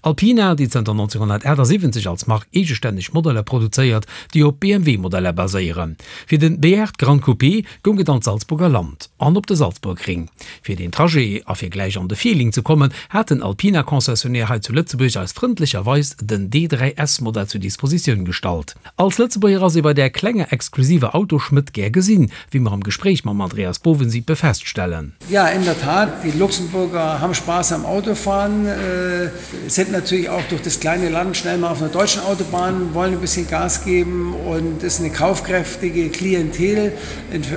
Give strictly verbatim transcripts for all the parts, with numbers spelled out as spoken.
Alpina, déi zënter nonzénghonnertaachtsiwwenzeg als Mark eegestänneg Modeller produzéiert, déi op B M W-Modeller baséieren. Fir den B aacht Gran Coupé goung et an d'Salzburger Land an op de Salzburgring. Fir den Trajet a fir gläich an de Feeling ze kommen, hat den Alpina-Concessionnaire hei zu Lëtzebuerg eis frëndlecherweis den D dräi S Modell zur Dispositioun gestallt. Als Lëtzebuerger ass ee bei där klenger exklusiver Autoschmëdd gär gesinn, wéi mer am Gespréich mam Andreas Bovensiepen feststellen. Ja, in der Tat, die Luxemburger haben Spaß am Autofahren, äh, sind natürlich auch durch das kleine Land schnell mal auf einer deutschen Autobahn, wollen ein bisschen Gas geben und ist eine kaufkräftige Klientel.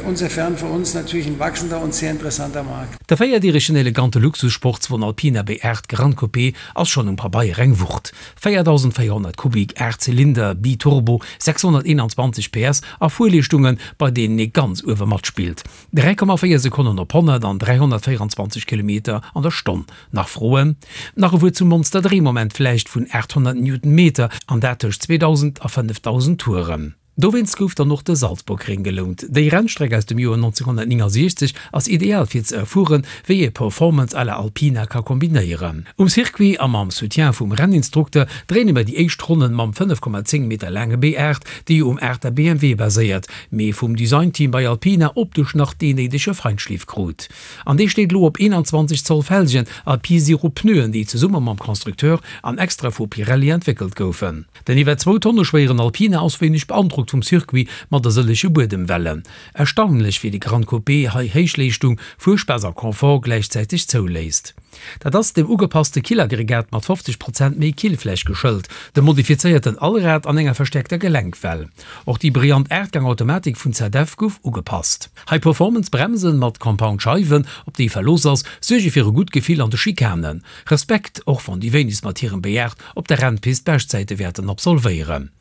Insofern für uns natürlich ein wachsender und sehr interessanter Markt. De véierdierigen elegante Luxussportswon Alpina B aacht Gran Coupé ass schonn um Pabeier eng Wucht. véierdausendvéierhonnert Kubik, aacht Zylinder, Biturbo, sechshonnerteenanzwanzeg P S a Fuerleeschtungen, bei deenen ee ganz uewe matspillt. dräi Komma véier Sekonnen op honnert an dräihonnertvéierenzwanzeg Kilometer an der Stonn. Nach Froen? Nach e Wuert zum Monster-Dréimoment vläicht vun aathonnert Newtonmeter, an dat tëscht zweedausend a fënnefdausend Touren. Dowéinst gouf dann och de Salzburgring gelount. Déi Rennstreck aus dem Joer nonzénghonnertnéngasiechzeg ass ideal fir ze erfueren, wéi ee Performance à la Alpina ka kombinéieren. Um Circuit a mam Soutien vum Renninstrukter dréine mer déi éischt Ronnen mam fënnef Komma zéng Meter laange B aacht, dee jo um aachter B M W baséiert, mee vum Designteam bei Alpina optesch nach deen néidege Feinschliff krut. An dee steet elo op eenanzwanzeg Zoll Felgen a P-Zero Pneuen, déi zesumme mam Constructeur an extra vu Pirelli entwéckelt goufen. Den iwwer zwou Tonne schwéieren Alpina ass wéineg beandrockt vum Circuit mat de sëllege Buedemwellen. Erstaunlech, wéi de Gran Coupé hei Héichleeschtung, Fuerspaass a Confort gläichzäiteg zouléisst. Dat ass dem ugepasste Killaggregat mat fofzeg Prozent méi Killfläch geschëlt, dem modifizéierten Allrad an enger verstäerkter Gelenkwell. Och déi brillant Aachtgang-Automatik vun Z F gouf ugepasst. High-Performance-Bremsen mat Compound-Scheiwen, op déi Verlooss ass, suerge fir e gutt Gefill an de Schikanen. Respekt, och wann déi wéinegst mat hirem B aacht op der Rennpist Beschtzäite wäerten absolvéieren.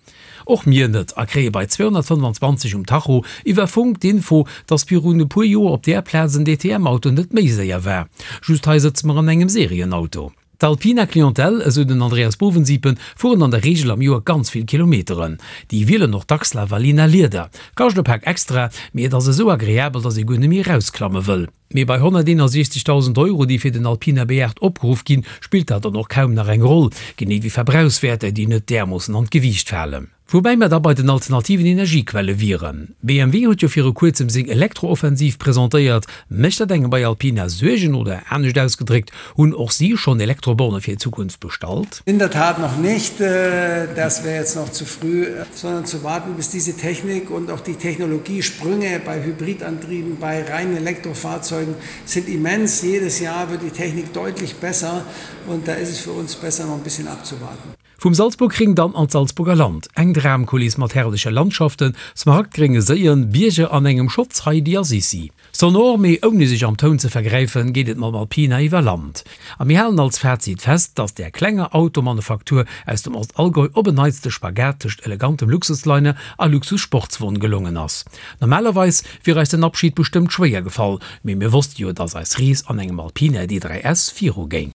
Och mir net a kréie bei zweehonnertfënnefanzwanzeg um Tacho iwwer Funk d'Info, dass virun e puer Joer op där Plaz en D T M-Auto net méi séier war. Just hei sëtze mer an engem Serienauto. D'Alpina-Clientèle, esou den Andreas Bovensiepen, fueren an der Reegel am Joer ganz vill Kilometeren. Déi wielen och dacks Lavalina-Lieder. Kascht e Pak extra, mee et ass esou agreabel, dass ee guer net méi erausklamme wëll. Mee bei honnerteenundsechzegdausend Euro, déi fir den Alpina B aacht opgeruff ginn, spillt dat dann och kaum nach eng Roll, genee wéi Verbrauchswäerter, déi net därmoossen an d'Gewiicht falen. Woubäi mer da bei den alternativen Energiequelle wieren. B M W huet jo viru kuerzem seng Elektrooffensiv presentéiert. Mécht dat engem bei Alpina Suergen oder anescht ausgedréckt, hunn och si schonn Elektroborne fir d'Zukunft bestallt? In der Tat noch nicht. Das wäre jetzt noch zu früh, sondern zu warten, bis diese Technik und auch die Technologiesprünge bei Hybridantrieben, bei reinen Elektrofahrzeugen sind immens. Jedes Jahr wird die Technik deutlich besser und da ist es für uns besser, noch ein bisschen abzuwarten. Vum Salzburgring dann an d'Salzburger Land, eng Dramkuliss mat herrleche Landschaften, smaragdgrénge Séien, Bierger an engem Schotz Heidi a Sissi. Sonor, mee ouni sech am Toun ze vergräifen, geet et mam Alpina iwwer Land. A mir halen als Fazit fest, dass där klenger Automanufaktur aus dem Ostallgäu op en Neits de Spagat tëscht elegantem Luxusliner a Luxussportswon gelongen ass. Normalerweis wier eis den Abschid bestëmmt schwéier gefall, mee mir wosste jo, dass eis Rees an engem Alpina D dräi S viru géing.